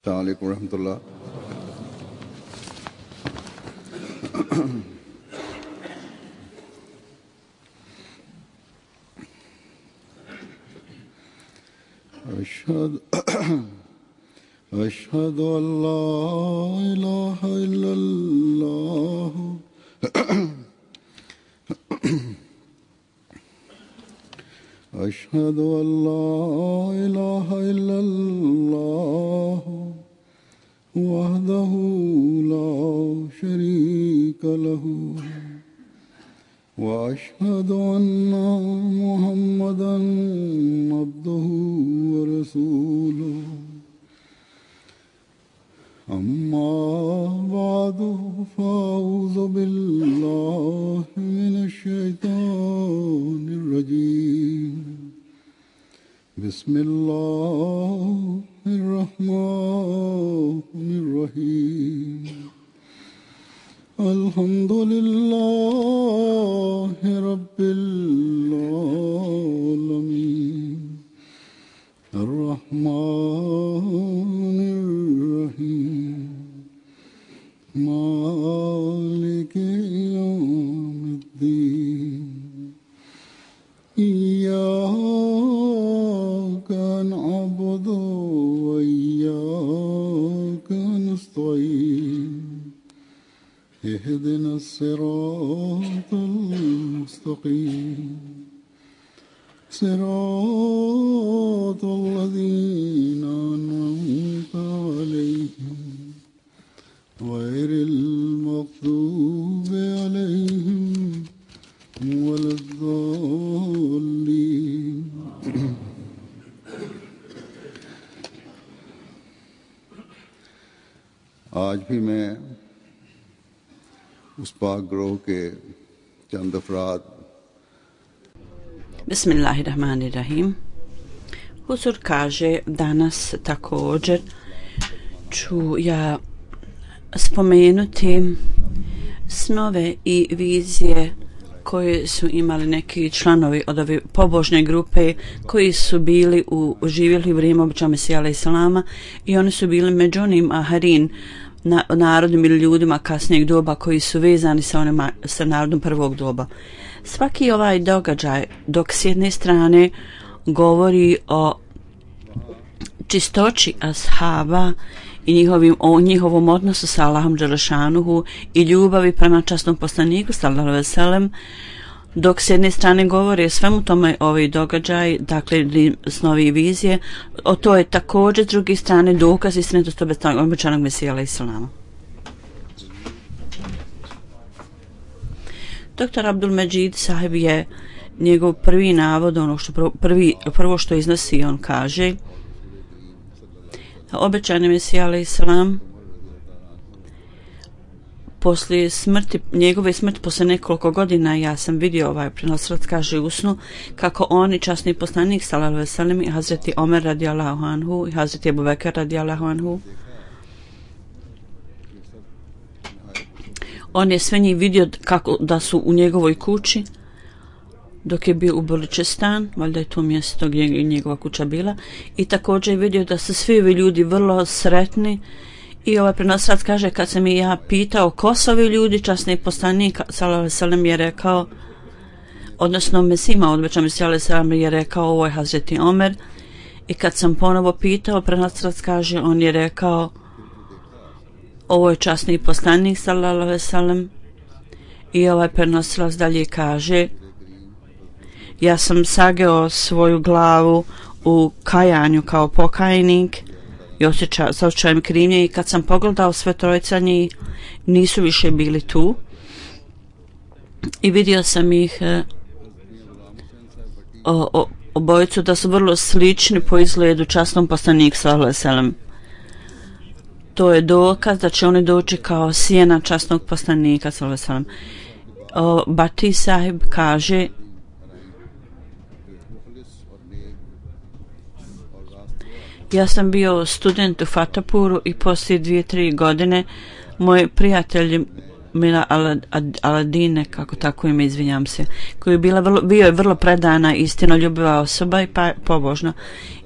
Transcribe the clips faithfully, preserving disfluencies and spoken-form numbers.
अस्सलामु अलैकुम रहमतुल्लाह। अशहदु अशहदु अल्ला इलाहा इल्लल्लाह अशहदु अल्ला इलाहा इल्लल्लाह वहदहु ला शरीका लहु व अशहदु अन्ना मुहम्मदन अब्दुहु व रसूलुहु अम्मा बादु फ़अऊज़ु बिल्लाहि मिनश शैतानिर रजीम बिस्मिल्लाहिर रहमानिर रहीम अल्हम्दुलिल्लाहि रब्बिल आलमीन अर्रहमानिर रहीम मालिकि यौमिद्दीन इय्याका नअबुदु व इय्याका नस्तईन इहदिना सिरातल मुस्तक़ीम सिरातल लज़ीना अनअमता अलैहिम गैरिल मग़दूबि अलैहिम वलद्दाल्लीन। आज भी मैं उस पाक ग्रोह के चंद अफराद Bismillahirrahmanirrahim. Huzur kaže danas također ću ja spomenuti snove i vizije koje su imali neki članovi od ove pobožne grupe koji su bili u živjeli vrijeme običaja Mesija alejhi selama i oni su bili među onim aharin na, narodom ili ljudima kasnijeg doba koji su vezani sa, onima, sa narodom prvog doba. Svaki ovaj događaj dok s jedne strane govori o čistoći ashaba i njihovim, o njihovom odnosu sa Allahom dželešanuhu i ljubavi prema časnom poslaniku sallallahu alejhi ve sellem, dok s jedne strane govori o svemu tome ovaj događaj, dakle snovi i vizije, o to je također s druge strane dokaz istinitosti obećanog Mesija alejhi selama. Doktor Abdul Međid sahib je njegov prvi navod, ono što prvi, prvo što iznosi, on kaže obećani Mesija alejhi selam poslije smrti, njegove smrti poslije nekoliko godina, ja sam vidio ovaj prenosilac kaže u snu kako oni časni poslanik sallallahu alejhi ve sellem i Hazreti Omer radijallahu anhu i Hazreti Ebu Bekr radijallahu anhu, on je sve njih vidio kako da su u njegovoj kući dok je bio u Bulučistan, valjda je to mjesto gdje je njegova kuća bila, i također je vidio da su svi ovi ljudi vrlo sretni. I ovaj prenosilac kaže kad sam i ja pitao ko su ovi ljudi, časni poslanik sallallahu alejhi ve sellem je rekao, odnosno Mesima odbeća Mesija alejhi selam je rekao ovo je Hazreti Omer, i kad sam ponovo pitao, prenosilac kaže on je rekao ovo je časni poslanik sallallahu alejhi ve sellem. I ovaj prenosilac dalje kaže ja sam sageo svoju glavu u kajanju kao pokajnik i osjeća, sa osjećajem krivnje, i kad sam pogledao sve trojica njih nisu više bili tu i vidio sam ih e, o, o, obojicu da su vrlo slični po izgledu časnom poslaniku sallallahu alejhi ve sellem. To je dokaz da će oni doći kao sjena časnog poslanika sallallahu alejhi ve sellem. Bati sahib kaže ja sam bio student u Fatapuru i poslije dvije, tri godine moj prijatelj Mila Aladine, kako tako ime, izvinjam se, koji je bila vrlo, bio je vrlo predana, istinoljubiva osoba i pa, pobožna.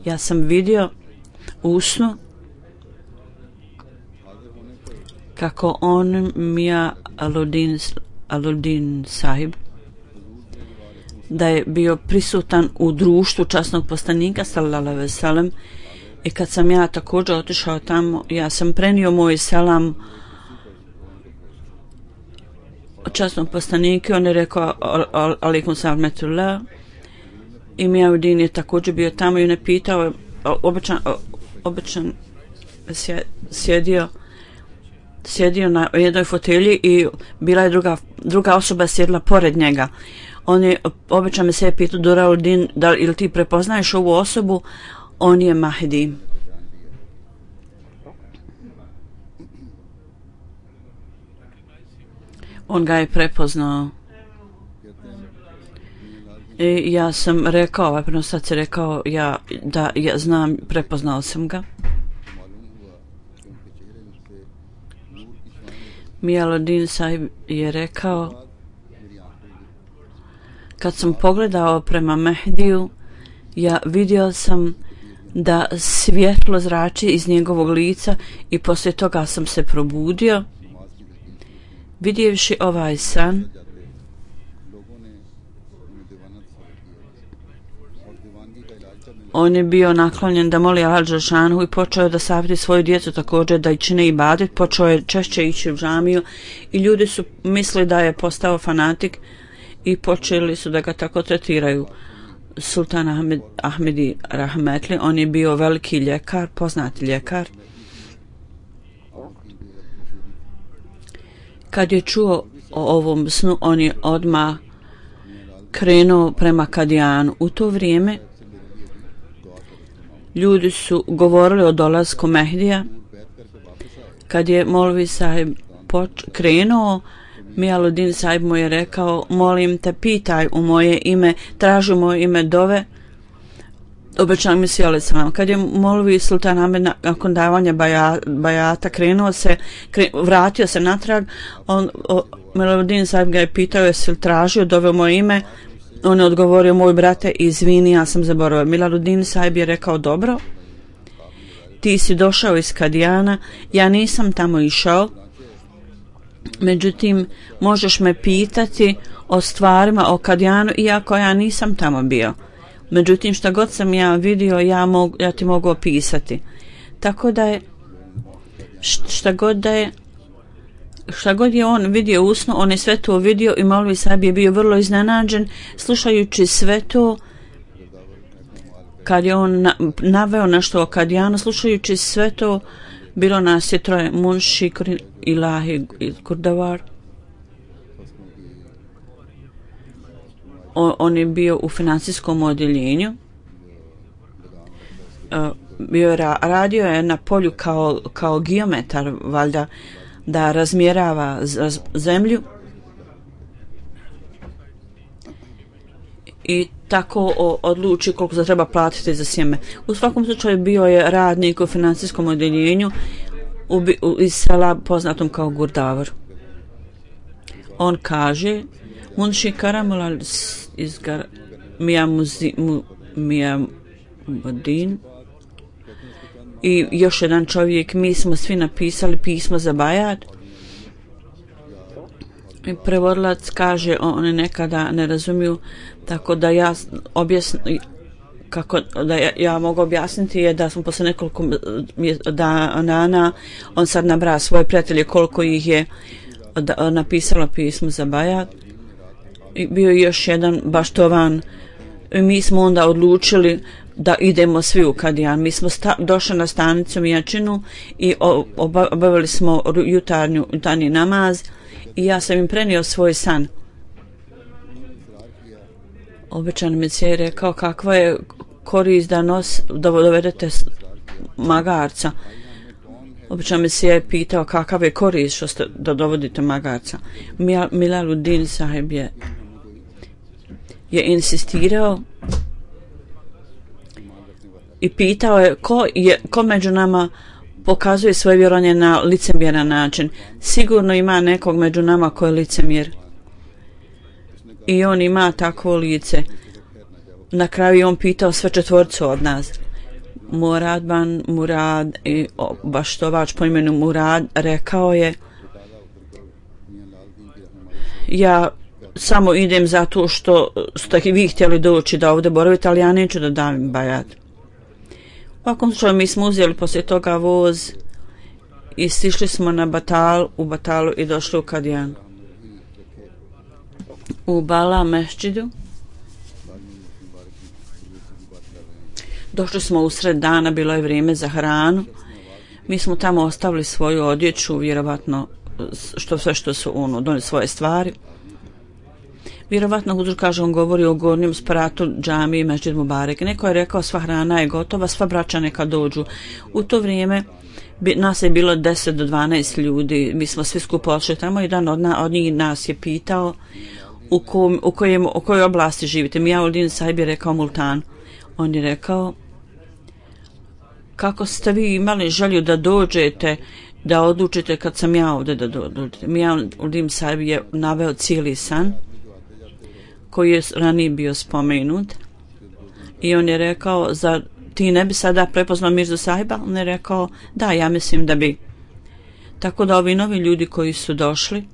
Ja sam vidio u snu kako on Mia Aludin, Aludin sahib da je bio prisutan u društvu časnog poslanika sallallahu alejhi ve sellem i kad sam ja također otišao tamo, ja sam prenio moj selam časnom poslaniku, on je rekao alejkum selam metullah i Mia Aludin je također bio tamo i on je pitao, običan, običan sjedio sjedio na jednoj fotelji i bila je druga, druga osoba sjedila pored njega. On je obično me se pitao Durauddin, da ili ti prepoznaješ ovu osobu? On je Mahdi. On ga je prepoznao. I ja sam rekao, ovaj prenosac je rekao ja, da ja znam, prepoznao sam ga. Mia Aludin sahib je rekao, kad sam pogledao prema Mehdiju, ja vidio sam da svjetlo zrači iz njegovog lica i poslije toga sam se probudio. Vidjevši ovaj san, on je bio naklonjen da moli Allah dželešanu i počeo da savjeti svoju djecu također da i čine ibadet, počeo je češće ići u džamiju i ljudi su mislili da je postao fanatik i počeli su da ga tako tretiraju. Sultan Ahmed, Ahmedi Rahmetli, on je bio veliki ljekar, poznati ljekar. Kad je čuo o ovom snu, on je odmah krenuo prema Kadijanu. U to vrijeme ljudi su govorili o dolasku Mehdija. Kad je Molvi sahib poč- krenuo, Mia Aludin sahib mu je rekao, molim te, pitaj u moje ime, traži u moje ime dove. Obećan mi si alejselam. Kad je Molvi Sultan Ahmed nakon davanja baja, bajata krenuo se, kre, vratio se natrag, on, Mia Aludin sahib ga je pitao, jesi li tražio dove u moje ime? On je odgovorio, moj brate, izvini, ja sam zaboravio. Mia Aludin sahib je rekao, dobro, ti si došao iz Kadijana, ja nisam tamo išao, međutim, možeš me pitati o stvarima o Kadijanu, iako ja nisam tamo bio. Međutim, šta god sam ja vidio, ja, mogu, ja ti mogu opisati. Tako da je, šta god da je, šta god je on vidio usno, on je sve to vidio i Molvi sahib je bio vrlo iznenađen slušajući sve to. Kad je on na, naveo nešto o Kadijanu, slušajući sve to, bilo nas je troje, Munši, Ilahi i Kurdavar. On, on je bio u financijskom odjeljenju. Uh, bio je ra, radio je na polju kao, kao geometar, valjda, da razmjerava z, zemlju. I tako o, odluči koliko se treba platiti za sjeme. U svakom slučaju bio je radnik u financijskom odjeljenju u, u, iz sela poznatom kao Gurdavor. On kaže, Munši Karamulal iz Gar, Mia Muzi, mu, Mia Mudin i još jedan čovjek, mi smo svi napisali pismo za bajat. I prevodilac kaže, oni nekada ne razumiju, tako da ja objasnim, kako da ja, ja mogu objasniti je da smo posle nekoliko dana, on sad nabra svoje prijatelje koliko ih je da, napisalo pismo za bajat. I bio je još jedan baštovan. I mi smo onda odlučili da idemo svi u Kadijan. Mi smo sta, došli na stanicu Mijačinu i obavili smo jutarnju, jutarnji namaz i ja sam im prenio svoj san. Obećan mi se je rekao kakva je korist da, nos, da dovedete magarca. Obećan mi se je pitao kakav je korist što ste, da dovodite magarca. Mia Aludin sahib je, je insistirao i pitao je ko, je ko među nama pokazuje svoje vjerovanje na licemjeran način. Sigurno ima nekog među nama ko je licemjer. I on ima takvo lice. Na kraju on pitao sve četvorcu od nas. Murad ban Murad i baštovač po imenu Murad rekao je: ja samo idem zato što ste vi htjeli doći da ovdje boravite, ali ja neću da dam bajat. U svakom slučaju mi smo uzeli poslije toga voz i sišli smo na Batal, u Batalu i došli u Kadijan. U Bala mešđidu došli smo usred dana, bilo je vrijeme za hranu. Mi smo tamo ostavili svoju odjeću, vjerovatno što sve što su ono, donijeli svoje stvari. Vjerovatno Huzur kaže, on govori o gornjem spratu džamije i Mešđid Mubarek. Neko je rekao sva hrana je gotova, sva braća neka dođu. U to vrijeme bi, nas je bilo deset do dvanaest ljudi, mi smo svi skupo odšli tamo. Jedan od, na, od njih nas je pitao u, kom, u, kojem, u kojoj oblasti živite. Mijaudin Sahib je rekao Multan. On je rekao: kako ste vi imali želju da dođete, da odlučite kad sam ja ovdje da dođete. Mijaudin Sahib je naveo cijeli san koji je ranije bio spomenut i on je rekao: za ti ne bi sada prepoznao Mirzu Sahiba? On je rekao: da, ja mislim da bi. Tako da ovi novi ljudi koji su došli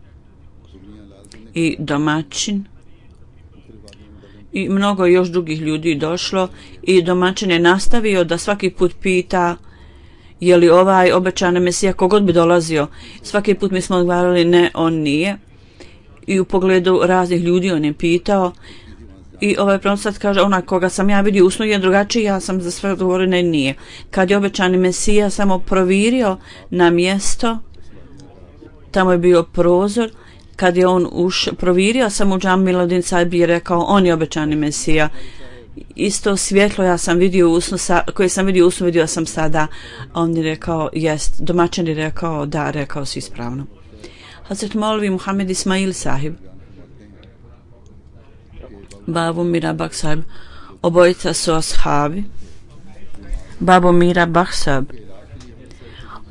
i domaćin i mnogo još drugih ljudi došlo i domaćin je nastavio da svaki put pita je li ovaj obećani Mesija, kogod bi dolazio. Svaki put mi smo odgovarali ne, on nije. I u pogledu raznih ljudi on je pitao i ovaj promosat kaže: onaj koga sam ja vidio usnu je drugačiji, ja sam za sve odgovorio ne, nije. Kad je obećani Mesija samo provirio na mjesto, tamo je bio prozor, kad je on uš, provirio sam u džam, Miladin Sahib je rekao: on je obećani Mesija. Isto svjetlo ja sam vidio usnu, sa, koje sam vidio usnu, vidio sam sada. On je rekao: jest. Domaćin je rekao: da, rekao si ispravno. Hazret Maulvi Muhammed Ismail Sahib, Babu Mira Bakh Sahib, obojica su ashabi. Babu Mira Bakh Sahib,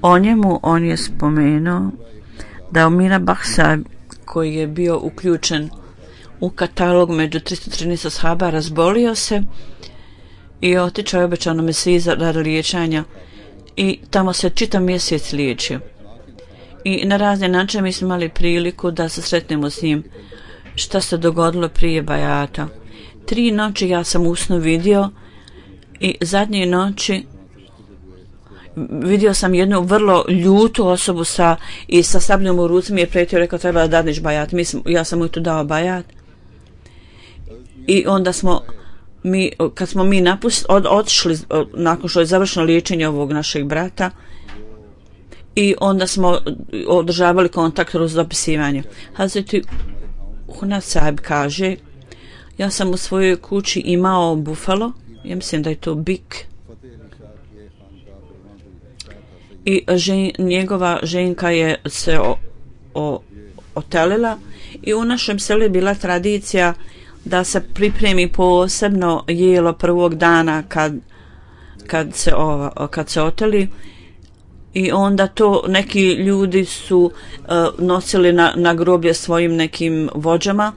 o njemu on je spomenuo da u Mira Bakh Sahib, koji je bio uključen u katalog među tristo trinaest ashaba, razbolio se i otišao je obećano Mesiji radi liječenja i tamo se čitav mjesec liječio. I na razne načine mi smo imali priliku da se sretnemo s njim. Šta se dogodilo prije bajata? Tri noći ja sam usno vidio i zadnje noći vidio sam jednu vrlo ljutu osobu sa, i sa sabljom u ruci mi je pretio, rekao: treba da dadneš bajat. Mi smo, ja sam mu tu dao bajat i onda smo mi, kad smo mi napust, od, otišli od, nakon što je završeno liječenje ovog našeg brata, i onda smo održavali kontakt uz dopisivanje. Hazreti Hunad Sahib kaže: ja sam u svojoj kući imao bufalo, ja mislim da je to bik, i žen, njegova ženka je se o, o, otelila i u našem selu je bila tradicija da se pripremi posebno jelo prvog dana kad, kad, se, ova, kad se oteli. I onda to neki ljudi su uh, nosili na, na groblje svojim nekim vođama.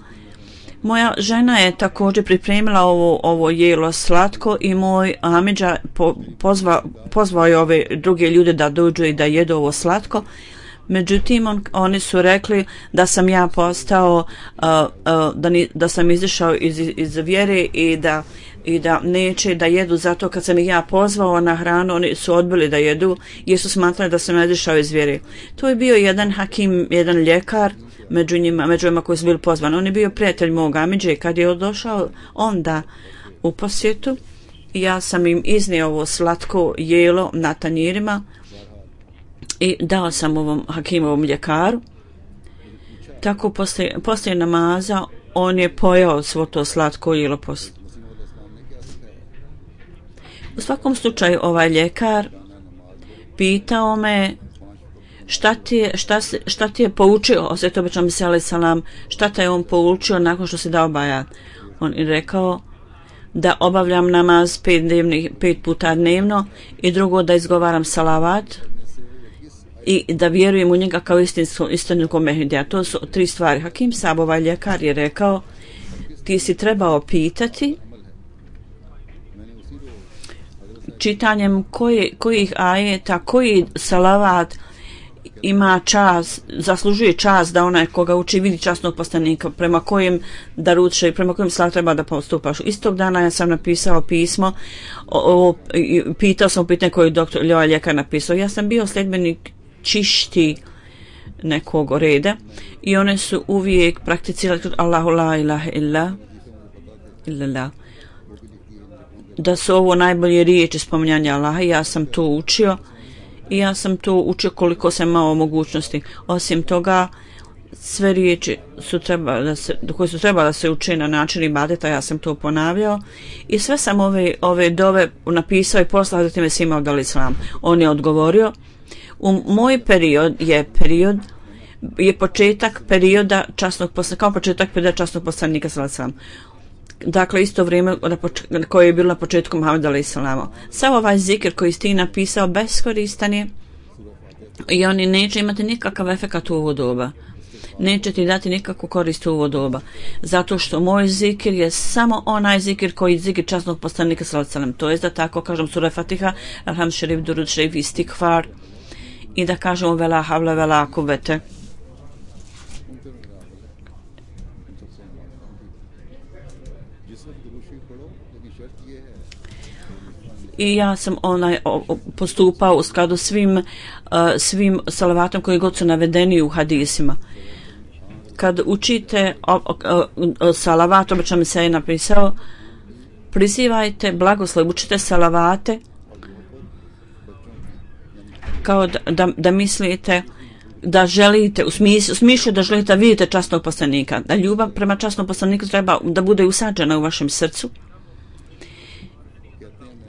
Moja žena je također pripremila ovo, ovo jelo slatko i moj amidža po, pozva, pozvao je ove druge ljude da dođu i da jedu ovo slatko. Međutim, on, oni su rekli da sam ja postao, uh, uh, da, ni, da sam izišao iz, iz vjere i da i da neće da jedu, zato kad sam ih ja pozvao na hranu, oni su odbili da jedu jer su smatrali da sam izišao iz vjere. To je bio jedan hakim, jedan ljekar među njima, među njima koji su bili pozvani. On je bio prijatelj mog amidže. Kad je došao onda u posjetu, ja sam im iznio ovo slatko jelo na tanjirima i dao sam ovom hakimovom ljekaru. Tako poslije, poslije namaza on je pojao svo to slatko jelo poslije. U svakom slučaju ovaj ljekar pitao me šta ti je, šta, šta ti je poučio, osvjet obećam se alaih salam, šta te je on poučio nakon što se dao bajat. On je rekao da obavljam namaz pet, dnevni, pet puta dnevno i drugo da izgovaram salavat i da vjerujem u njega kao istinitkog Mehmedija. To su tri stvari. Hakim Sahib, ovaj ljekar, je rekao: ti si trebao pitati čitanjem koje, kojih ajeta, koji salavat ima čas, zaslužuje čas da onaj koga uči vidi časnog poslanika prema kojem daruče i prema kojem salavat treba da postupaš. Istog dana ja sam napisao pismo, o, o, pitao sam pitanje koji je doktor Ljoa Ljekar napisao. Ja sam bio sljedbenik čišti nekog reda i one su uvijek prakticirali Allahu la ilaha illa illa da su ovo najbolje riječi spominjanja Allaha. Ja sam to učio i ja sam to učio koliko sam imao mogućnosti. Osim toga, sve riječi su treba da se, koje su trebali da se uče na način ibadeta, ja sam to ponavljao i sve sam ove, ove dove napisao i poslao zatim je svima od al-Islam. On je odgovorio. U moj period je period je početak perioda časnog poslanika, kao početak perioda časnog poslanika sallallahu alejhi ve sellem. Dakle, isto vrijeme koje je bilo na početku Muhameda alejhi selama. Sav ovaj zikr koji ste napisao beskoristan je i oni neće imati nikakav efekat u ovo doba. Neće ti dati nikakvu korist u ovo doba. Zato što moj zikr je samo onaj zikr koji je zikr časnog poslanika sallallahu alejhi ve sellem. To je da tako kažem sura Fatiha, Alhamd šerif, Durud šerif, Istikfar i da kažemo vela havla vela kuvvete. I ja sam onaj o, postupao u skladu svim uh, svim salavatom koji god su navedeni u hadisima. Kad učite o, o, o, salavat, obično mi se je napisao, prizivajte blagoslov, učite salavate kao da, da, da mislite da želite, u smislu, u smislu da želite da vidite časnog poslanika, da ljubav prema časnom poslaniku treba da bude usađena u vašem srcu,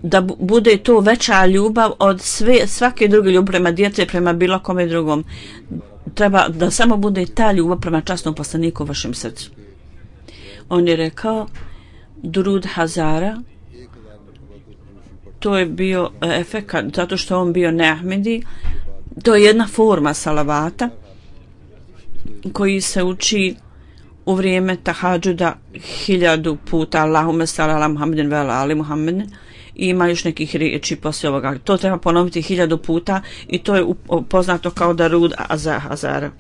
da bude to veća ljubav od sve, svake druge ljubav prema djece, prema bilo kome drugom. Treba da samo bude ta ljubav prema časnom poslaniku u vašem srcu. On je rekao Durud Hazara, to je bio efekat, zato što on bio neahmedi, to je jedna forma salavata koji se uči u vrijeme tahadžuda hiljadu puta Allahume salli ala Muhammedin ve ala ali Muhammedin. I ima još nekih riječi poslije ovoga. To treba ponoviti hiljadu puta i to je poznato kao Darud Hazara.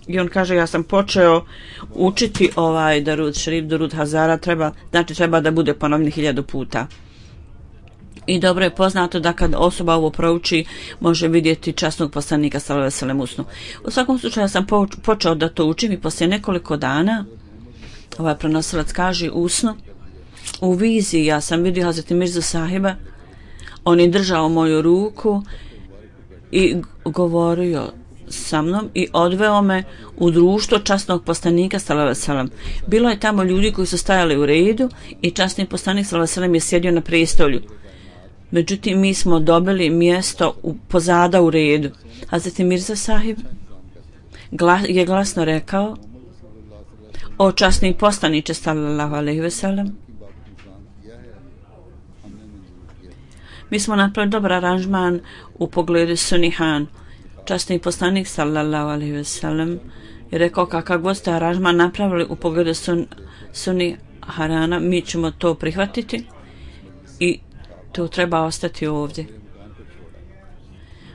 I on kaže, ja sam počeo učiti ovaj Darud šerif, Darud Hazara, treba, znači treba da bude ponovni hiljadu puta. I dobro je poznato da kad osoba ovo prouči, može vidjeti časnog poslanika sallallahu alejhi ve sellem usnu. U svakom slučaju ja sam počeo da to učim i poslije nekoliko dana ovaj prenosilac kaže usnu, u viziji ja sam vidio Hazreti Mirza sahiba, on je držao moju ruku i govorio sa mnom i odveo me u društvo časnog poslanika sallallahu alejhi ve sellem. Bilo je tamo ljudi koji su stajali u redu i časni poslanik sallallahu alejhi ve sellem je sjedio na prestolju. Međutim, mi smo dobili mjesto u, pozada u redu. Hazreti Mirza sahib glas, je glasno rekao: o časni poslaniče sallallahu alejhi ve sellem, mi smo napravili dobar aranžman u pogledu Sunihan. Časni poslanik sallallahu alejhi ve sellem je rekao kakav god ste aranžman napravili u pogledu sun, Suniharana, mi ćemo to prihvatiti i to treba ostati ovdje.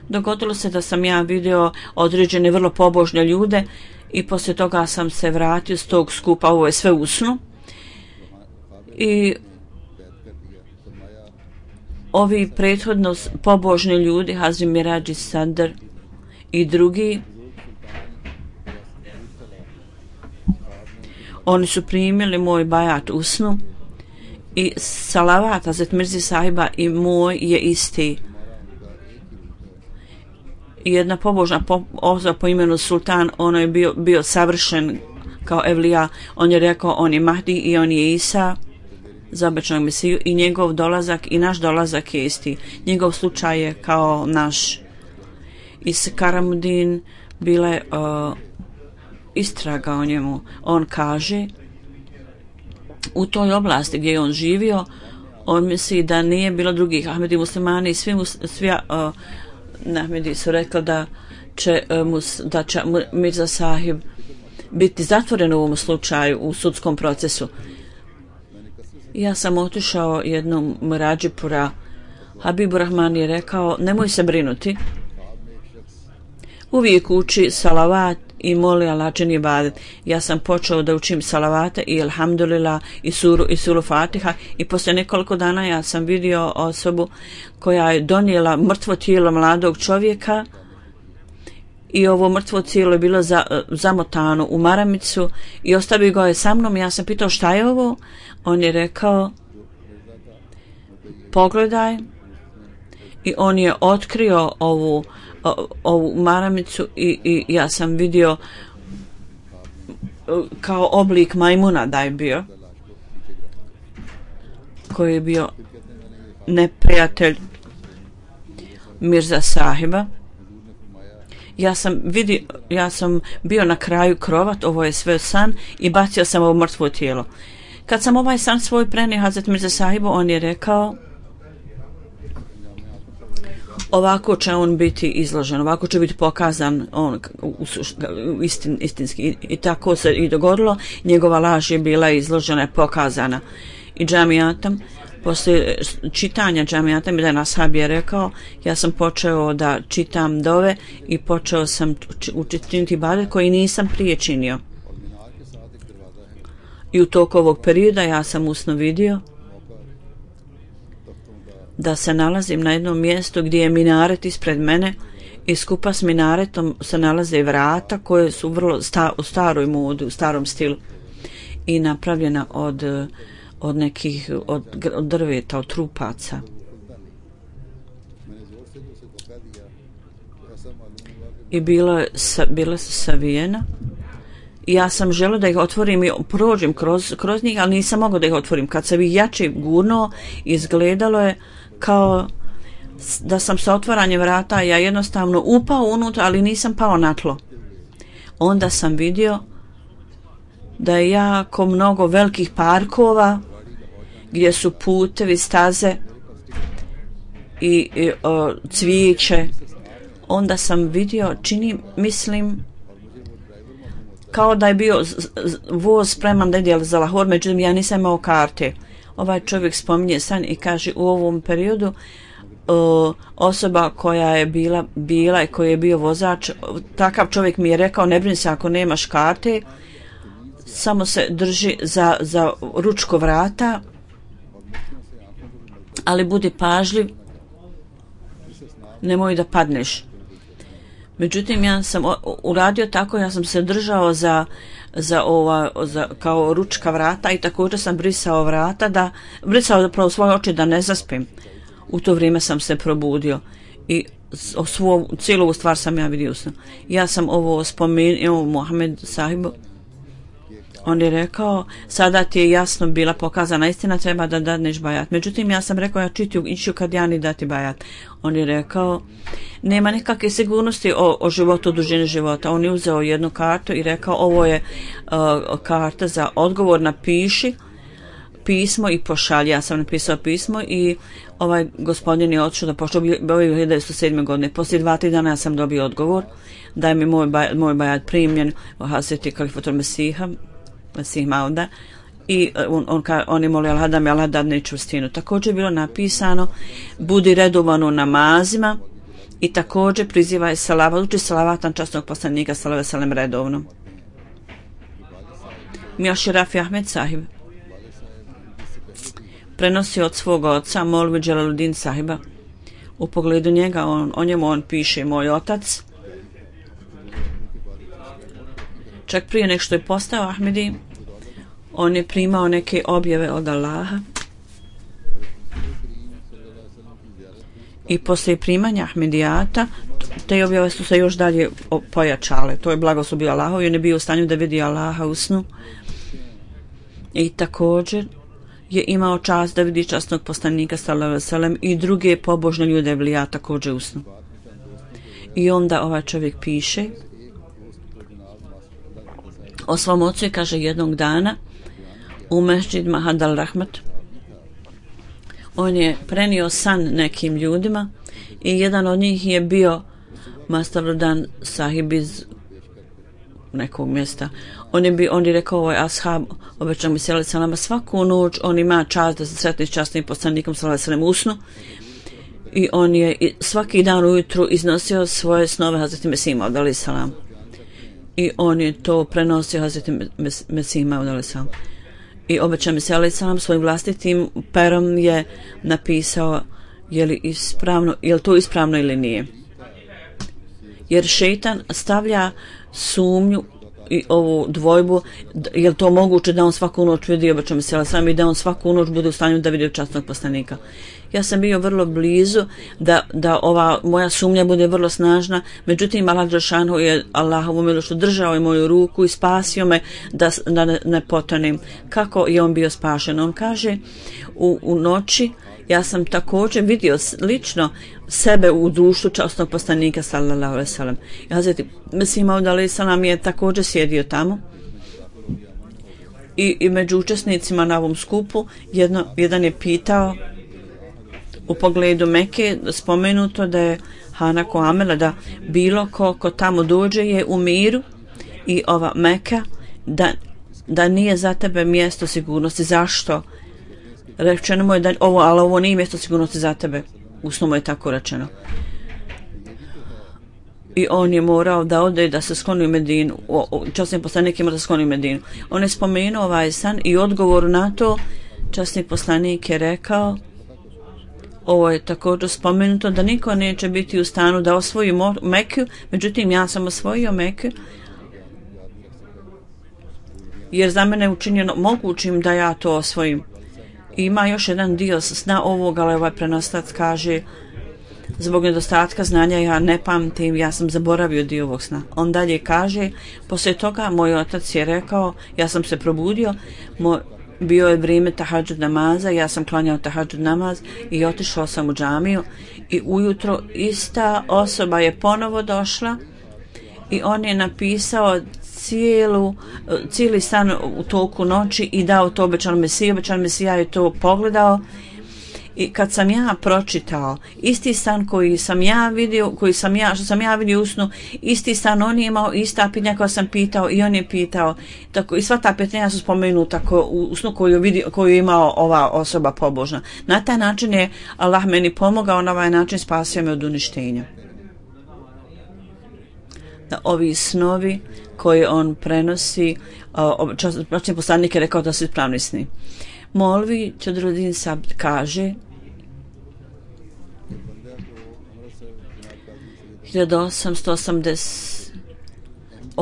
Dogodilo se da sam ja vidio određene vrlo pobožne ljude i poslije toga sam se vratio s tog skupa, ovo je sve usnu. I ovi prethodno pobožni ljudi, Hazri Mirađi Sadr i drugi, oni su primili moj bajat usnu i salavat Hazret Mirzi sahiba i moj je isti. I jedna pobožna po, osoba po imenu Sultan, ono je bio, bio savršen kao evlija, on je rekao on je Mahdi i on je Isa za obećanog Mesiju i njegov dolazak i naš dolazak je isti. Njegov slučaj je kao naš. I s Karamudin bile uh, istraga o njemu. On kaže u toj oblasti gdje je on živio, on misli da nije bilo drugih Ahmedi muslimani i svi, svi uh, Ahmedi su rekli da će, uh, mus, da će Mirza sahib biti zatvoren u ovom slučaju u sudskom procesu. Ja sam otišao jednom Mrađipura. Habibu Rahman je rekao, nemoj se brinuti. Uvijek uči salavat i moli Allah čini ibadet. Ja sam počeo da učim salavate i alhamdulillah i suru i suru Fatiha i poslije nekoliko dana ja sam vidio osobu koja je donijela mrtvo tijelo mladog čovjeka i ovo mrtvo tijelo je bilo za, zamotano u maramicu i ostavio ga je sa mnom. Ja sam pitao šta je ovo? On je rekao pogledaj i on je otkrio ovu ovu maramicu i, i ja sam vidio kao oblik majmuna da je bio koji je bio neprijatelj Mirza Sahiba. Ja sam vidio, ja sam bio na kraju krovat, ovo je sve san i bacio sam ovo mrtvo tijelo. Kad sam ovaj san svoj prenio Hazret Mirza Sahibu, on je rekao ovako će on biti izložen, ovako će biti pokazan on istin, istinski I, i tako se i dogodilo. Njegova laž je bila izložena, pokazana i džamijatom. Poslije čitanja džamijatom jedan ashab je rekao, ja sam počeo da čitam dove i počeo sam učiniti ibadet koji nisam prije činio. I u toku ovog perioda ja sam usno vidio da se nalazim na jednom mjestu gdje je minaret ispred mene i skupa s minaretom se nalaze vrata koje su vrlo sta, u staroj modi, u starom stilu i napravljena od, od nekih od, od drveta, od trupaca. I bilo je, bila su savijena i ja sam želio da ih otvorim i prođem kroz, kroz njih, ali nisam mogao da ih otvorim. Kad sam ih jače gurnuo, izgledalo je kao da sam sa otvaranjem vrata ja jednostavno upao unutra, ali nisam pao na tlo. Onda sam vidio da je jako mnogo velikih parkova gdje su putevi, staze i, i o, cvijeće. Onda sam vidio, čini, mislim, kao da je bio voz spreman da ide za Lahor, međutim ja nisam imao karte. Ovaj čovjek spominje san i kaže u ovom periodu o, osoba koja je bila, bila i koji je bio vozač, takav čovjek mi je rekao ne brini se ako nemaš karte, samo se drži za, za ručko vrata, ali budi pažljiv, nemoj da padneš. Međutim, ja sam uradio tako, ja sam se držao za, za ova, za, kao ručka vrata i također sam brisao vrata, da, brisao zapravo svoje oči da ne zaspim. U to vrijeme sam se probudio i o svo, cijelu ovu stvar sam ja vidio. Ja sam ovo spomenuo Mohamed Sahibu. On je rekao, sada ti je jasno bila pokazana istina, treba da dadneš bajat. Međutim, ja sam rekao, ja čitiju, iću kad ja ni dati bajat. On je rekao, nema nekakve sigurnosti o, o životu, o dužini života. On je uzeo jednu kartu i rekao, ovo je uh, karta za odgovor, napiši pismo i pošalji. Ja sam napisao pismo i ovaj gospodin je otišao da pošao ove hiljadu devetsto sedme. godine. Poslije dva, tri dana ja sam dobio odgovor da je mi moj, baj, moj bajat primljen u Hazreti Kalifatul Mesiha, Mesih Mauda, i on, on, on je molio Allah da mi Allah dadne čvrstinu. Također je bilo napisano budi redovan u namazima i također prizivaj salavat, uči salavatan časnog poslanika sallallahu alejhi ve sellem redovno. Mioši Rafi Ahmed Sahib prenosi od svog oca Molvi Dželaluddin Sahiba. U pogledu njega on, o njemu on piše moj otac. Čak prije nek što je postao Ahmedi, on je primao neke objave od Allaha i poslije primanja Ahmedijata te objave su se još dalje pojačale. To je blagoslov bio Allahov i on je bio u stanju da vidi Allaha u snu i također je imao čast da vidi časnog poslanika sallallahu alejhi ve sellem i druge pobožne ljude evlija također u snu. I onda ovaj čovjek piše o svom ocu i kaže jednog dana u Mesdžid Mahad al-Rahmat on je prenio san nekim ljudima i jedan od njih je bio Mastarudan Sahib iz nekog mjesta. On je, bi, on je rekao ovaj ashab, obećan mi se salama, svaku noć on ima čast da se sretni s časnim poslanikom salama usnu i on je svaki dan ujutru iznosio svoje snove Hazreti Mesima odali salam. I on je to prenosio Hazreti Mesima odali salam. I obećan mi se alejhi selam svojim vlastitim perom je napisao je li ispravno, je li to ispravno ili nije. Jer šejtan stavlja sumnju i ovu dvojbu, je li to moguće da on svaku noć vidi obećan mi se alejhi selam i da on svaku noć bude u stanju da vidi časnog poslanika. Ja sam bio vrlo blizu da, da ova moja sumnja bude vrlo snažna, međutim Allah dželešanu je Allahovu milošću držao je moju ruku i spasio me da, da ne, ne potonem. Kako je on bio spašen? On kaže u, u noći ja sam također vidio lično sebe u društvu časnog poslanika sallallahu alejhi ve sellem. Hazreti Mesih Maud alejhi selam je također sjedio tamo. I, i među učesnicima na ovom skupu jedno, jedan je pitao u pogledu Mekke, spomenuto da je Hanako Amela da bilo ko, ko tamo dođe je u miru i ova Meka da, da nije za tebe mjesto sigurnosti. Zašto? Rečeno mu je da ovo, ali ovo nije mjesto sigurnosti za tebe. Usno mu je tako rečeno. I on je morao da ode da se skloni u Medinu. Časni poslanik je morao da se skloni u Medinu. On je spomenuo ovaj san i odgovor na to časni poslanik je rekao, ovo je također spomenuto da niko neće biti u stanu da osvoji Meku, međutim ja sam osvojio Meku jer za mene je učinjeno mogućim da ja to osvojim. I ima još jedan dio sna ovoga, ali ovaj prenostac kaže zbog nedostatka znanja ja ne pamtim, ja sam zaboravio dio ovog sna. On dalje kaže, poslije toga moj otac je rekao, ja sam se probudio, moj bio je vrijeme tahadžud namaza, ja sam klanjao tahadžud namaz i otišao sam u džamiju i ujutro ista osoba je ponovo došla i on je napisao cijelu, cijeli san u toku noći i dao to obećan Mesija. Obećan Mesija je to pogledao i kad sam ja pročitao isti san koji sam ja vidio, koji sam ja, što sam ja vidio u snu, isti san on je imao, ista pitanja koja sam pitao i on je pitao. Tako, i sva ta pitanja su spomenuta ko, u snu koju, vidio, koju je imao ova osoba pobožna. Na taj način je Allah meni pomogao, na ovaj način spasio me od uništenja. Da ovi snovi koje on prenosi, časni poslanik je rekao da su ispravni sni. Molvi Čadruddin Sabd kaže hiljadu osamsto osamdeset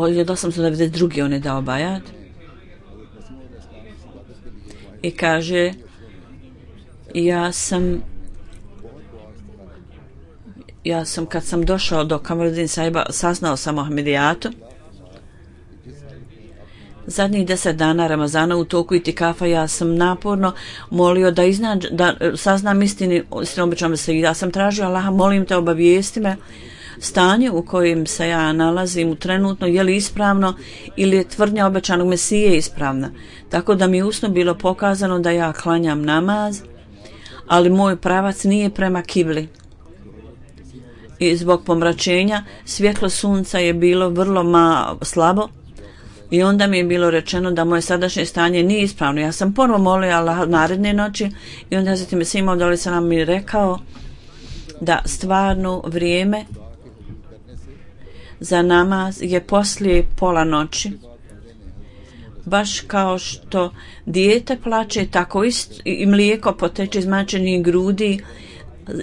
hiljadu osamsto devedeset druge on je dao bajat i kaže ja sam ja sam kad sam došao do Kamaruddin Sahiba saznao sam o Ahmedijatu. Zadnjih deset dana Ramazana u toku itikafa ja sam naporno molio da, iznađ, da saznam istini, istinu obećam se. Ja sam tražio Allaha, molim te obavijesti me stanje u kojem se ja nalazim u trenutno, je li ispravno ili je tvrdnja obećanog Mesije ispravna. Tako da mi je usno bilo pokazano da ja klanjam namaz, ali moj pravac nije prema kibli. I zbog pomračenja svjetlo sunca je bilo vrlo ma, slabo. I onda mi je bilo rečeno da moje sadašnje stanje nije ispravno. Ja sam ponovo molio Allah naredne noći i onda Hazreti Mesih Maud alejhi selam mi rekao da stvarno vrijeme za namaz je poslije pola noći. Baš kao što dijete plače, tako isto i mlijeko poteče iz majčinih grudi.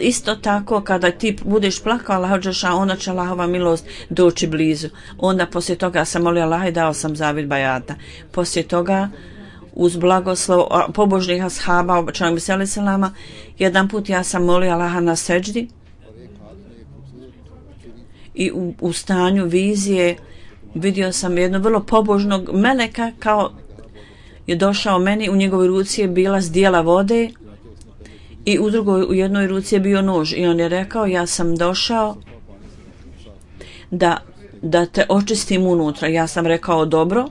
Isto tako kada ti budeš plakao Allah džeša, onda će Allahova milost doći blizu. Onda poslije toga sam molio Allah i dao sam zavid bajata. Poslije toga uz blagoslov pobožnih ashaba obećanog Mesija alejhi selama jedan put ja sam molio Allaha na seđdi i u, u stanju vizije vidio sam jednog vrlo pobožnog meleka kao je došao meni, u njegovoj ruci je bila zdjela vode i u drugoj, u jednoj ruci je bio nož i on je rekao ja sam došao da, da te očistim unutra. Ja sam rekao dobro,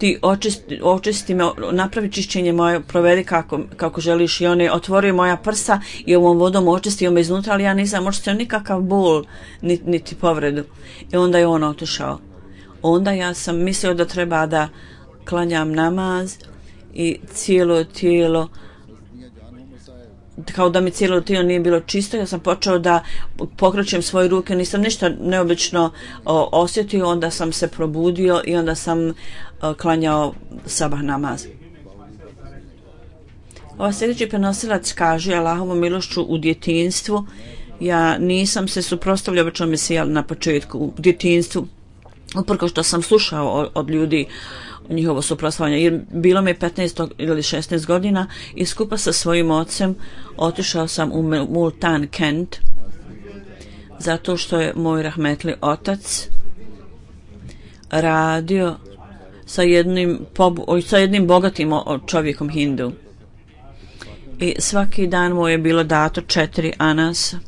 ti očisti, očisti me, napravi čišćenje moje, provedi kako, kako želiš. I on je otvorio moja prsa i ovom vodom očistio me iznutra, ali ja nisam očistio nikakav bol niti, niti povredu. I onda je on otišao. onda ja sam mislio da treba da klanjam namaz i cijelo tijelo, kao da mi cijelo tijelo nije bilo čisto, ja sam počeo da pokrećem svoje ruke, nisam ništa neobično o, osjetio, onda sam se probudio i onda sam o, klanjao sabah namaz. Ova sljedeći prenosilac kaže: Allahovom milošću u djetinjstvu ja nisam se suprotstavljao obično mesiji na početku u djetinjstvu, uprko što sam slušao od ljudi njihovo suprotstavljanje, jer bilo mi petnaest ili šesnaest godina i skupa sa svojim ocem otišao sam u Multan, Kent, zato što je moj rahmetli otac radio sa jednim, pobu, sa jednim bogatim čovjekom Hindu. I svaki dan mu je bilo dato četiri anasa.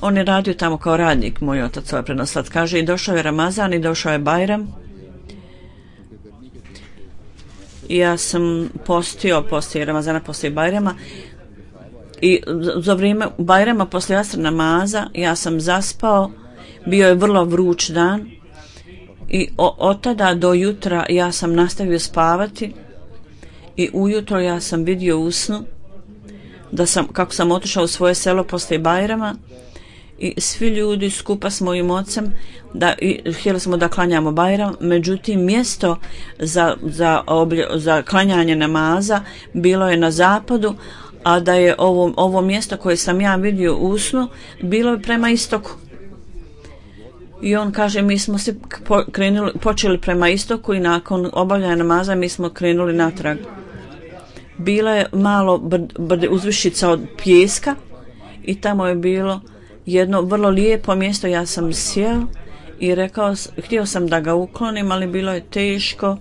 On je radio tamo kao radnik, moj otac, ovaj prenosilac kaže, i došao je Ramazan i došao je Bajram. I ja sam postio poslije Ramazana, poslije Bajrama. I za vrijeme Bajrama, poslije asr namaza, ja sam zaspao. Bio je vrlo vruć dan. I od tada do jutra ja sam nastavio spavati. I ujutro ja sam vidio u snu da sam, kako sam otišao u svoje selo poslije Bajrama, i svi ljudi skupa s mojim ocem da i, htjeli smo da klanjamo Bajram, međutim mjesto za, za, oblje, za klanjanje namaza bilo je na zapadu, a da je ovo, ovo mjesto koje sam ja vidio u snu bilo je prema istoku. I on kaže, mi smo se po, krenuli, počeli prema istoku i nakon obavljanja namaza mi smo krenuli natrag. Bila je malo brd, brd, uzvišica od pijeska i tamo je bilo jedno vrlo lijepo mjesto. Ja sam sjeo i rekao, htio sam da ga uklonim, ali bilo je teško.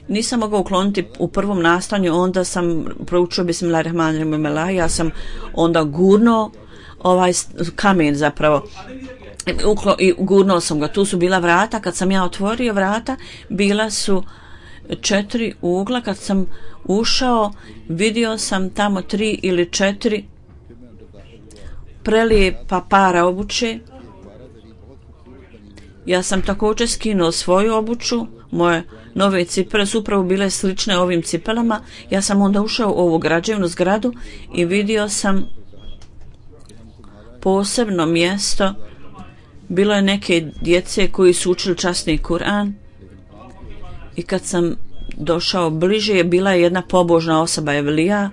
Nisam mogao ukloniti u prvom nastanju, onda sam proučio Bismillahirrahmanirrahim. Ja sam onda gurnuo ovaj kamen zapravo. Uklo, i gurnuo sam ga. Tu su bila vrata. Kad sam ja otvorio vrata, bila su četiri ugla. Kad sam ušao, vidio sam tamo tri ili četiri prelijepa para obuće. Ja sam također skinuo svoju obuću. Moje nove cipele su upravo bile slične ovim cipelama. Ja sam onda ušao u ovu građevnu zgradu i vidio sam posebno mjesto. Bilo je neke djece koji su učili časni Kur'an i kad sam došao bliže, bila je jedna pobožna osoba, Evlija,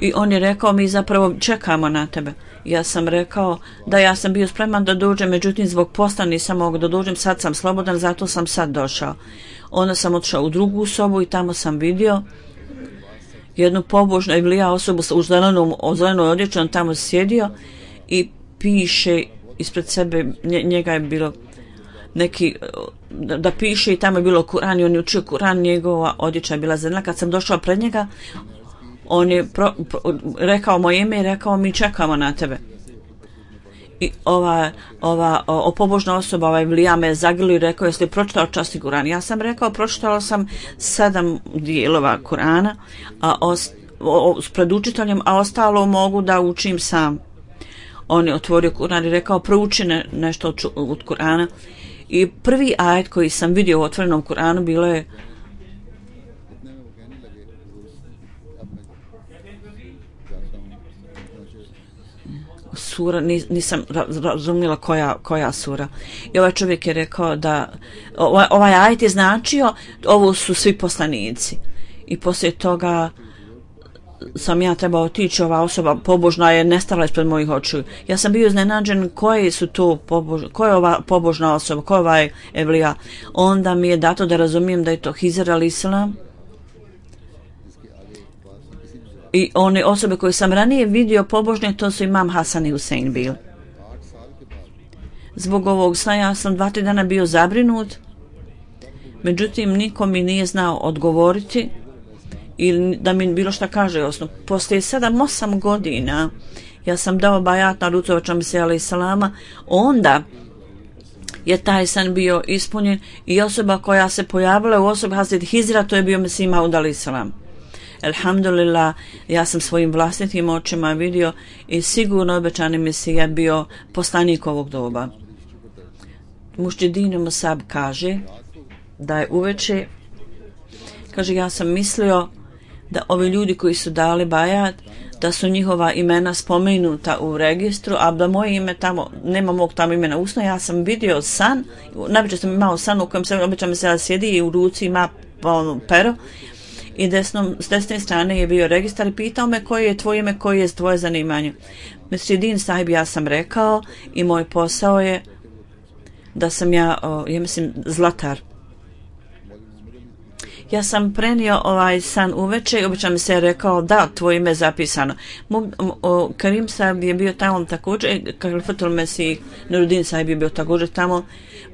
i on je rekao, mi zapravo čekamo na tebe. Ja sam rekao da ja sam bio spreman da dođem, međutim zbog posla nisam mogao da dođem, sad sam slobodan, zato sam sad došao. Onda sam otišao u drugu sobu i tamo sam vidio jednu pobožnu Evlija osobu u zelenom, zelenoj odjeći, on tamo sjedio i piše ispred sebe, njega je bilo neki, da, da piše i tamo je bilo Kur'an i on je učio Kur'an, njegova odjeća je bila zelena. Kad sam došao pred njega, on je pro, pro, rekao moje ime i rekao, mi čekamo na tebe. I ova, ova o, pobožna osoba, ovaj Vlija, me zagrlio i rekao, jeste li pročitao časni Kur'an? Ja sam rekao, pročitala sam sedam dijelova Kur'ana a os, o, o, s predučiteljem, a ostalo mogu da učim sam. On je otvorio Kur'an i rekao, prouči ne, nešto od, od Kur'ana. I prvi ajet koji sam vidio u otvorenom Kur'anu bilo je sura, nisam razumjela koja, koja sura. I ovaj čovjek je rekao da ovaj, ovaj ajet je značio, ovo su svi poslanici. I poslije toga sam ja trebao otići, ova osoba pobožna je nestala ispred mojih očiju. Ja sam bio iznenađen koje su to pobožne, ko je ova pobožna osoba, ko je ovaj Evlija. Onda mi je dato da razumijem da je to Hizr al-Islam. I one osobe koje sam ranije vidio pobožne, to su Imam Hasan i Husein bili. Zbog ovog sna ja sam dva, tri dana bio zabrinut, međutim niko mi nije znao odgovoriti ili da mi bilo šta kaže osno. Poslije sedam, osam godina ja sam dao bajat na Rucovača Mesija alaih salama, onda je taj san bio ispunjen i osoba koja se pojavila u osobi Hazret Hizra, to je bio Mesija Maud alaih salam. Elhamdulillah, ja sam svojim vlastitim očima vidio i sigurno obećani Mesija bio poslanik ovog doba. Mušđedin Musab kaže da je uveče, kaže, ja sam mislio da ovi ljudi koji su dali bajat, da su njihova imena spomenuta u registru, a da moje ime tamo, nema mog tamo imena usno, ja sam vidio san, najveće sam imao san u kojem se običajno se sjedi i u ruci ima ono, pero, i desnom, s desne strane je bio registar i pitao me koje je tvoje ime, koje je tvoje zanimanje. Mesridin sahib, ja sam rekao i moj posao je da sam ja, o, ja mislim, zlatar. Ja sam prenio ovaj san uveče i obično mi se je rekao da, tvoje ime je zapisano. Mo, o, Karim sahib je bio tamo također, Kalifatul Mesih Nurudin sahib je bio također tamo.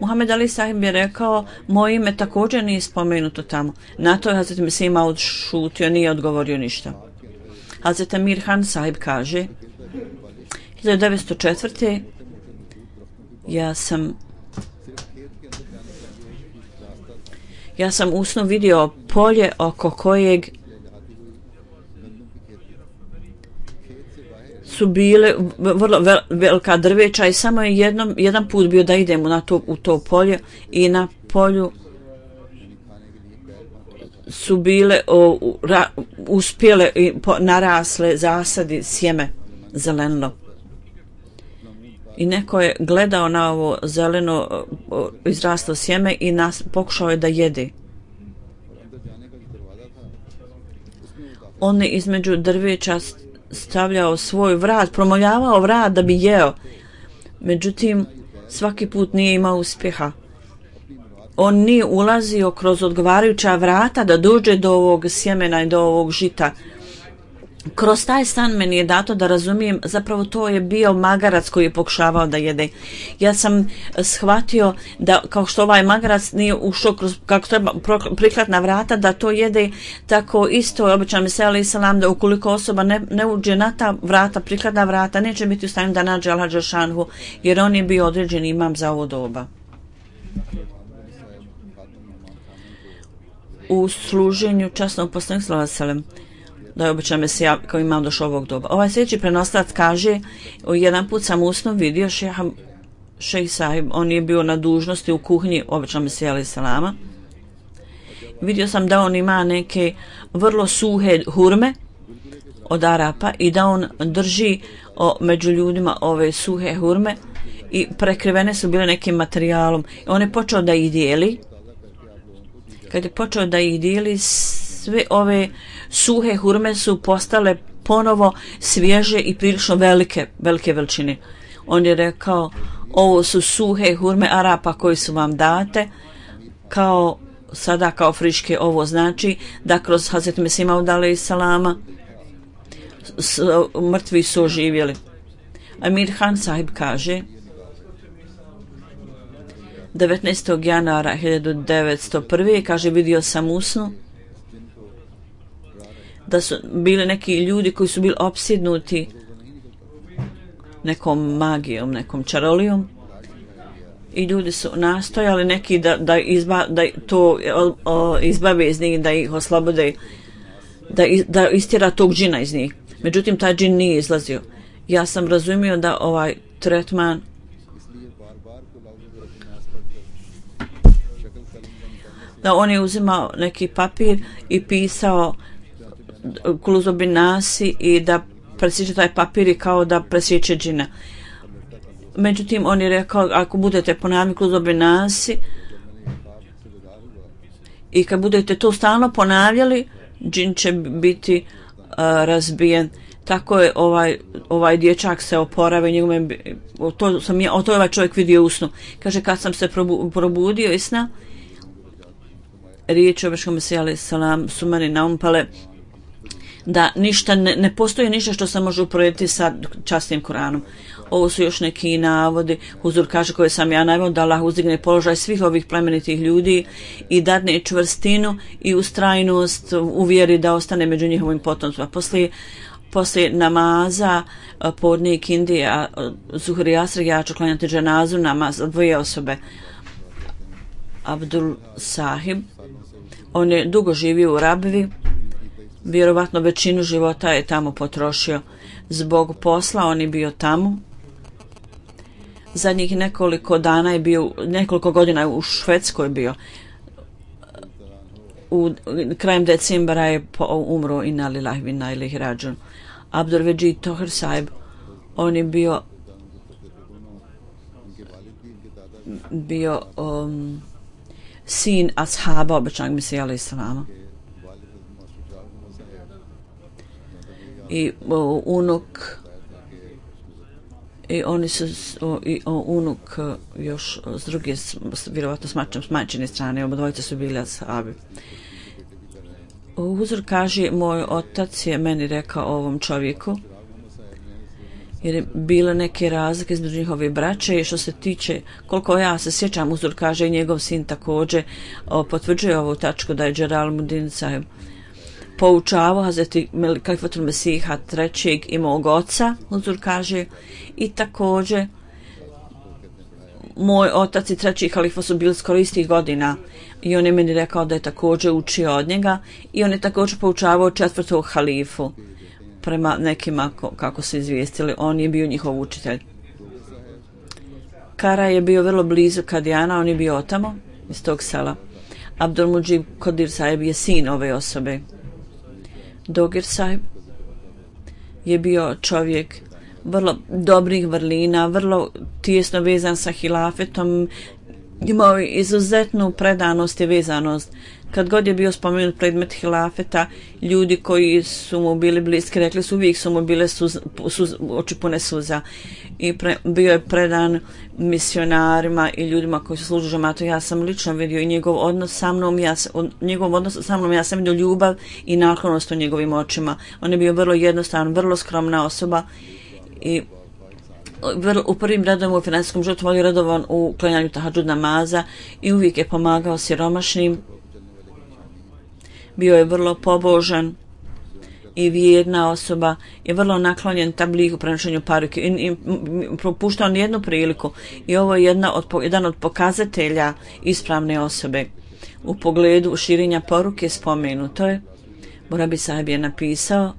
Muhammed Ali sahib je rekao, moje ime također nije spomenuto tamo. Na to je Hazret Mesih ima odšutio, nije odgovorio ništa. Hazret Amir Han sahib kaže, hiljadu devetsto četvrte. ja sam Ja sam u snu vidio polje oko kojeg su bile vrlo vel, velika drveća i samo je jednom, jedan put bio da idemo na to, u to polje i na polju su bile o, ra, uspjele i po, narasle zasadi sjeme zeleno. I neko je gledao na ovo zeleno o, izraslo sjeme i nas, pokušao je da jede. On je između drveća stavljao svoj vrat, promoljavao vrat da bi jeo. Međutim, svaki put nije imao uspjeha. On nije ulazio kroz odgovarajuća vrata da dođe do ovog sjemena i do ovog žita. Kroz taj stan meni je dato da razumijem, zapravo to je bio magarac koji je pokušavao da jede. Ja sam shvatio da kao što ovaj magarac nije ušao kroz, kako treba, prikladna vrata, da to jede tako isto. Obično mi se ali salam da ukoliko osoba ne, ne uđe na ta vrata, prikladna vrata, neće biti u stanju da nađe Allah Đelšanhu, jer on je bio određen imam za ovo doba. U služenju časnog poslanika sallallahu alejhi ve sellem da je obično Mesija kao imam došao ovog doba. Ovaj sljedeći prenoslac kaže, jedan put sam usno vidio šeha šejh sahib, on je bio na dužnosti u kuhinji obično Mesija alejhi selama. Vidio sam da on ima neke vrlo suhe hurme od Arapa i da on drži o, među ljudima ove suhe hurme i prekrivene su bile nekim materijalom. On je počeo da ih dijeli. Kad je počeo da ih dijeli, sve ove suhe hurme su postale ponovo svježe i prilično velike, velike veličine. On je rekao, ovo su suhe hurme Arapa koji su vam date, kao sada kao friške. Ovo znači da kroz Hazret Mesih Maud alejhi selama mrtvi su oživjeli. Amir Han sahib kaže, devetnaestog januara hiljadu devetsto prve. kaže, vidio sam u snu da su bili neki ljudi koji su bili opsjednuti nekom magijom, nekom čarolijom i ljudi su nastojali neki da, da, izba, da to o, o, izbave iz njih, da ih oslobode, da, da istjera tog džina iz njih. Međutim, taj džin nije izlazio. Ja sam razumio da ovaj tretman da on je uzimao neki papir i pisao Kuluzobin Nasi i da presjeće taj papir i kao da presjeće džina. Međutim, on je rekao, ako budete ponavljati Kuluzobin Nasi i kad budete to stalno ponavljali, džin će biti uh, razbijen. Tako je ovaj, ovaj dječak se oporavio, njegove, to sam ja, o to je ovaj čovjek vidio u snu. Kaže, kad sam se probu, probudio iz sna, riječi običnog Mesija alejhi selam su meni naumpale da ništa, ne, ne postoji ništa što se može uporediti sa časnim Koranom. Ovo su još neki navodi, Huzur kaže, koje sam ja naveo, da Allah uzdigne položaj svih ovih plemenitih ljudi i dadne čvrstinu i ustrajnost u vjeri da ostane među njihovim potomcima. Poslije, poslije namaza podne i kindije, a Zuhri i Asr, ja ću klanjati dženazu namaz za dvoje osobe. Abdul Sahib, on je dugo živio u Rabvi, vjerovatno većinu života je tamo potrošio. Zbog posla on je bio tamo. Zadnjih nekoliko dana je bio, nekoliko godina u Švedskoj bio. U krajem decembra je umro inna lillahi wa inna ilaihi rađun. Abdul Vejid Toher Sahib, on je bio bio um, sin ashaba obećanog Mesija alejhi selama i o, unuk i oni su o, i o, unuk još s druge vjerovatno smačem s majčine strane, obadvojica su bili ashabi. Huzur kaže, moj otac je meni rekao ovom čovjeku, jer je bilo neke razlike između njihove braće i što se tiče, koliko ja se sjećam, Huzur kaže i njegov sin također o, potvrđuje ovu tačku da je Jalaluddin Sahib poučavao Hazreti Kalifatul Mesiha trećeg i mog oca, Huzur kaže, i također moj otac i treći halifa su bili skoro istih godina i on je meni rekao da je također učio od njega i on je također poučavao četvrtog halifu. Prema nekima kako su izvijestili, on je bio njihov učitelj. Kara je bio vrlo blizu Kadijana, on je bio otamo iz tog sela. Abdul Mujib Kodir Sahib je sin ove osobe. Dogir Sahib je bio čovjek vrlo dobrih vrlina, vrlo tijesno vezan sa hilafetom, imao je izuzetnu predanost i vezanost. Kad god je bio spomenut predmet hilafeta, ljudi koji su mu bili bliski rekli su uvijek su mu bile suz, suz, oči pune suza i pre, bio je predan misionarima i ljudima koji su služili džematu. Ja sam lično vidio i njegov odnos sa mnom, ja, njegov odnos sa mnom, ja sam vidio ljubav i naklonost u njegovim očima. On je bio vrlo jednostavan, vrlo skromna osoba i u prvim redovima u finansijskom životu volio redovan u klanjanju tahadžud namaza i uvijek je pomagao siromašnim. Bio je vrlo pobožan i vjerna osoba, je vrlo naklonjen tabligu prenošenju paruke i, i propuštao nijednu priliku i ovo je jedna od, jedan od pokazatelja ispravne osobe. U pogledu širenja poruke spomenuto je, Borabi Sahib je napisao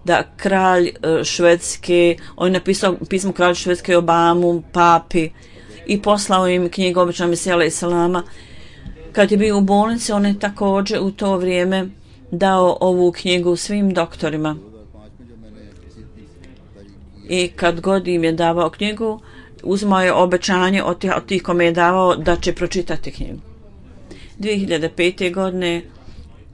da kralj Švedske, on je napisao pismo kralju Švedske Obamu, papi i poslao im knjigu obećanog Mesija alejhi selama. Kad je bio u bolnici, on je također u to vrijeme dao ovu knjigu svim doktorima. I kad god im je davao knjigu, uzmao je obećanje od tih, od tih kome je davao da će pročitati knjigu. dvije hiljade pete. godine,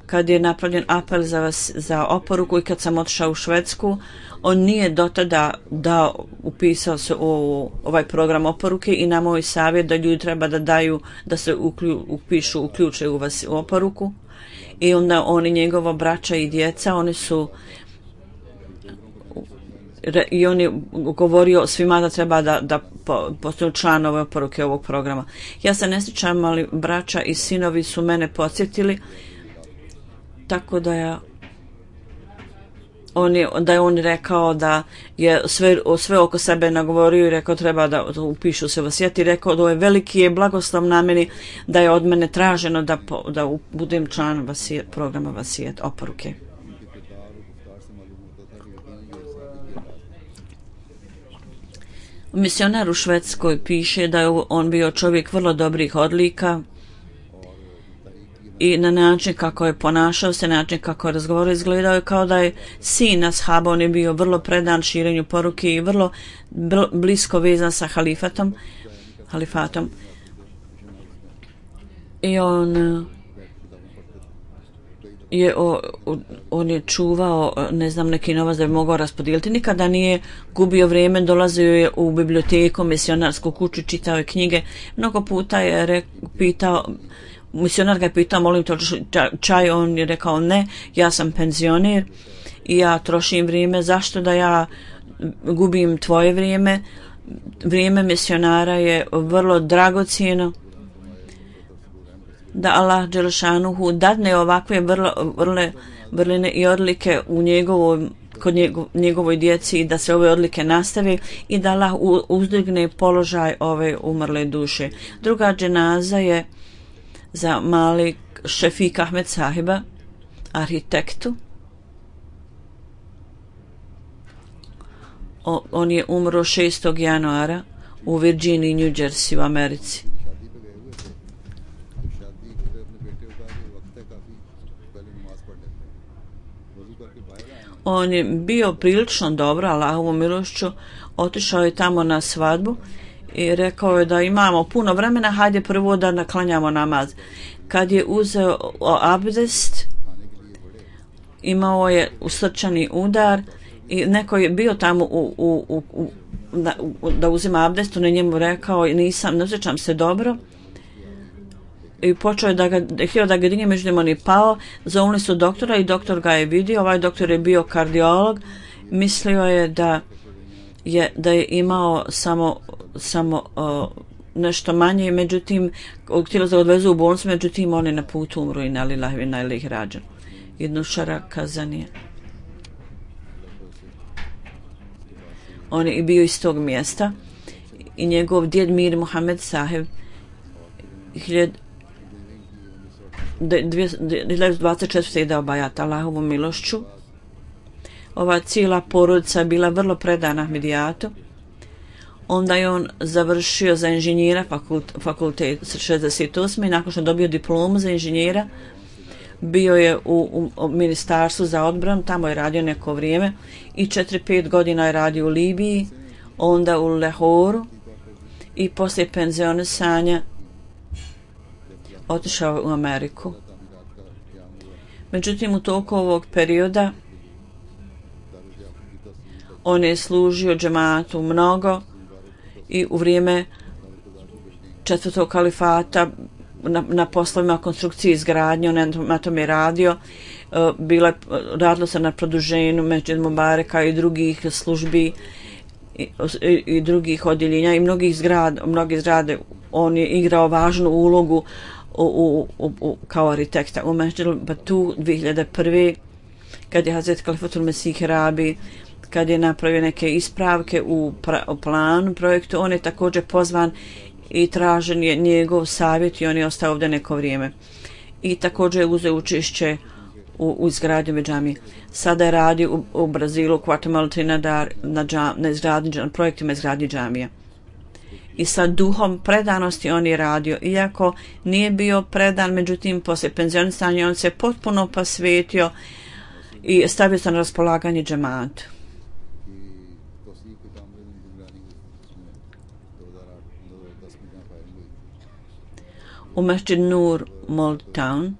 kad je napravljen apel za, vas, za oporuku i kad sam otišao u Švedsku, on nije do tada da upisao se u ovaj program oporuke i na moj savjet da ljudi treba da daju, da se uklju, upišu, uključe u vas u oporuku. I onda oni, njegova braća i djeca, oni su i on je govorio svima da treba da, da postanu članove oporuke ovog programa. Ja se ne sjećam, ali braća i sinovi su mene podsjetili, tako da ja on je, da je on rekao da je sve, sve oko sebe nagovorio i rekao treba da upišu se vasijet i rekao da je veliki je blagoslov na meni da je od mene traženo da, da budem član vasijet, programa vasijet oporuke. Misionar u Švedskoj piše da je on bio čovjek vrlo dobrih odlika i na način kako je ponašao se, način kako je razgovarao, izgledao je kao da je sin ashaba. On je bio vrlo predan širenju poruke i vrlo blisko vezan sa halifatom, halifatom. I on je, o, on je čuvao, ne znam, neki novac da bi mogao raspodijeliti. Nikada nije gubio vrijeme, dolazio je u biblioteku, misionarsku kuću, čitao je knjige. Mnogo puta je re, pitao, misionar ga je pitao, molim te čaj, on je rekao ne, ja sam penzioner i ja trošim vrijeme, zašto da ja gubim tvoje vrijeme? Vrijeme misionara je vrlo dragocjeno, da Allah Đelešanuhu dadne ovakve vrlo, vrle, vrline i odlike u njegovoj, kod njegov, njegovoj djeci i da se ove odlike nastave i da Allah uzdigne položaj ove umrle duše. Druga dženaza je za Malik Šefik Ahmed Sahiba. arhitektu. O, on je umro šestog januara u Virginiji, New Jersey u Americi. On je bio prilično dobro, Allahovom milošću, otišao je tamo na svadbu i rekao je da imamo puno vremena, hajde prvo da naklanjamo namaz. Kad je uzeo abdest, imao je usrčani udar i neko je bio tamo u, u, u, u, da, u, da uzima abdest, on je njemu rekao nisam, ne osjećam se dobro. I počeo je da ga, htio da ga digne, međutim on je pao, zovnuli su doktora i doktor ga je vidio, ovaj doktor je bio kardiolog, mislio je da je, da je imao samo, samo uh, nešto manje, međutim, htjelo da ga odvezu u bolnicu, međutim on je na putu umro i nalillahi wa inna ilaihi rađen. Jednu šara kazanije. On je bio iz tog mjesta i njegov djed Mir Muhammed Saheb dvadeset četvrte je dao bajat Allahovom milošću. Ova cijela porodica je bila vrlo predana Ahmedijatu. Onda je on završio za inženjera fakult, fakultet šezdeset osme i nakon što je dobio diplomu za inženjera bio je u, u, u ministarstvu za odbranu, tamo je radio neko vrijeme i četiri pet godina je radio u Libiji, onda u Lahoru i poslije penzionisanja otišao u Ameriku. Međutim, u toku ovog perioda on je služio džematu mnogo i u vrijeme četvrtog kalifata na, na poslovima konstrukcije i izgradnje, on na tom je radio. Bila, radilo se na produženju Mesdžid Mubareka i drugih službi i, i, i drugih odjeljenja i mnogih zgrada, mnogi zgrade. On je igrao važnu ulogu u, u, u, u, kao arhitekta. U Mesdžid Batu dvije hiljade prve kad je Hazret Kalifatul Mesih Rabi, kad je napravio neke ispravke u, pra, u planu projektu, on je također pozvan i tražen je njegov savjet i on je ostao ovdje neko vrijeme. I također je uzeo učešće u, u izgradnju džamije. Sada je radio u, u Brazilu, Guatemala, Trinidad na, džam, na, izgradnji, na projektima izgradnje džamija. I sa duhom predanosti on je radio. Iako nije bio predan, međutim, poslije penzionisanja on se potpuno posvetio i stavio se na raspolaganje džematu. U Mesdžid Nur Moldtown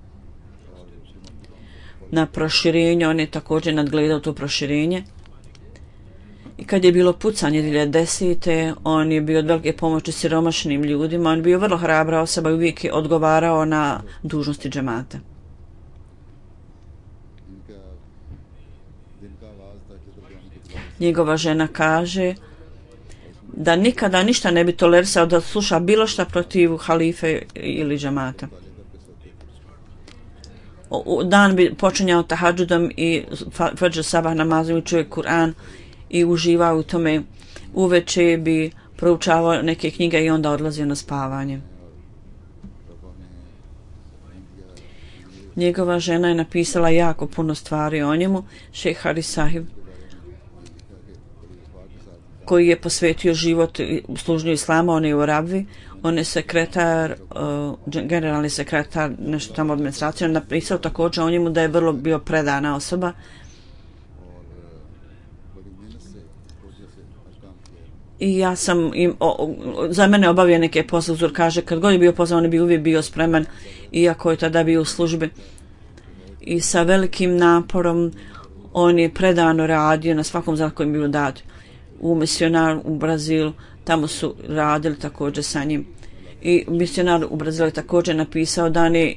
na proširenju, on je također nadgledao to proširenje. I kad je bilo pucanje dvije hiljade desete. on je bio od velike pomoći siromašnim ljudima, on je bio vrlo hrabra osoba i uvijek je odgovarao na dužnosti džemata. Njegova žena kaže da nikada ništa ne bi tolerisao da sluša bilo šta protiv halife ili džemata. U dan bi počinjao tahadžudom i fadž sabah namazom, učio je Kur'an i uživao u tome. Uveče bi proučavao neke knjige i onda odlazio na spavanje. Njegova žena je napisala jako puno stvari o njemu. Šejh Haris Sahib, koji je posvetio život u služnju islama, on je u Rabvi, on je sekretar, uh, generalni sekretar, nešto tamo administracije, on napisao također o njemu da je vrlo bio predana osoba. I ja sam im, o, za mene obavio neke posle, uzor kaže, kad god je bio pozvan, on je bi uvijek bio spreman, iako je tada bio u službi. I sa velikim naporom on je predano radio na svakom zakonu koji je bio dat. U misionar u Brazilu, tamo su radili također sa njim. I misionar u Brazilu je također napisao da on je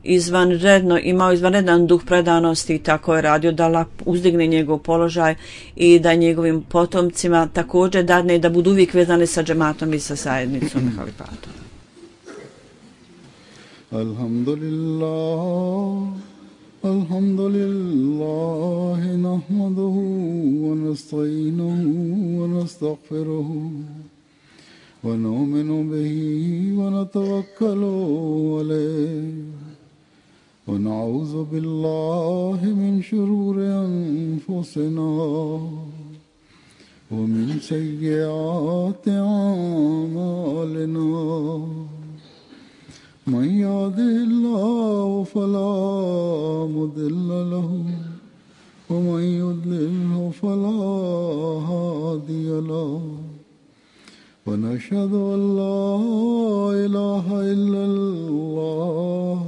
izvanredno, imao izvanredan duh predanosti i tako je radio da Allah uzdigne njegov položaj i da njegovim potomcima također dadne da budu uvijek vezani sa džematom i sa zajednicom halifatom. Alhamdulillah, alhamdulillah, nahmaduhu wa nasta'inuhu wa nastaghfiruhu wa nu'minu bihi wa natawakkalu alayhi ونعوذ بالله من شرور أنفسنا ومن سيئات أعمالنا من يهده الله فلا مضل له ومن يضلله فلا هادي له ونشهد أن لا إله إلا الله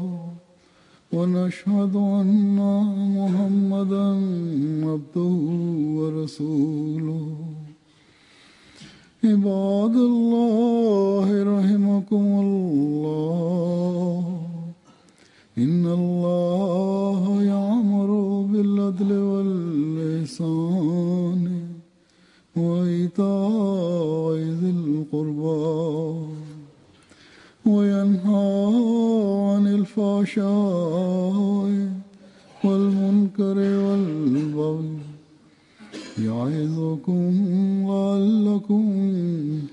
ونشهد أن محمدا عبده ورسوله عباد الله رحمكم الله إن الله يأمر بالعدل والإحسان وإيتاء ذي القربى وينهى عن الفحشاء والمنكر والبغي يعظكم لعلكم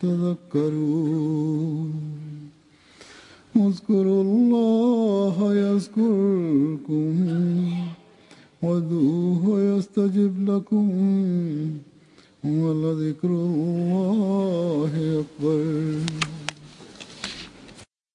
تذكرون اذكروا الله يذكركم وادعوه يستجب لكم ولذكر الله أكبر.